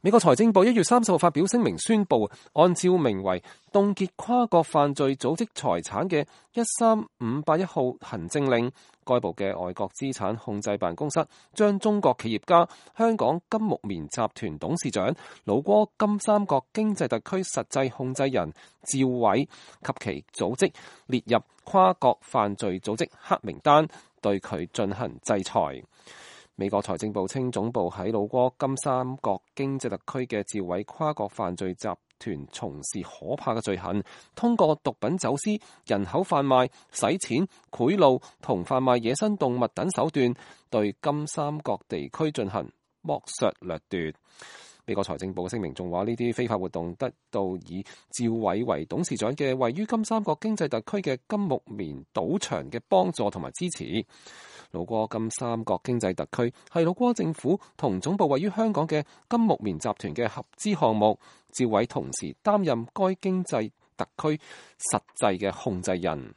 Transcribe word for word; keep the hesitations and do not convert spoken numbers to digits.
美國財政部一月三十號發表聲明宣布，按照名為凍結跨國犯罪組織財產嘅一三五八一號行政令，該部嘅外國資產控制辦公室將中國企業家香港金木棉集團董事長老撾金三角經濟特區實際控制人趙偉及其組織列入跨國犯罪組織黑名單，對佢進行制裁。美國財政部稱，總部喺老撾金三角經濟特區嘅趙偉跨國犯罪集團從事可怕嘅罪行，通過毒品走私、人口販賣、洗錢、賄賂同販賣野生動物等手段，對金三角地區進行剝削掠奪。美國財政部聲明仲話，呢啲非法活動得到以趙偉為董事長嘅位於金三角經濟特區嘅金木棉賭場嘅幫助同埋支持。老撾金三角經濟特區係老撾政府同總部位於香港嘅金木棉集團嘅合資項目，趙偉同時擔任該經濟特區實際嘅控制人。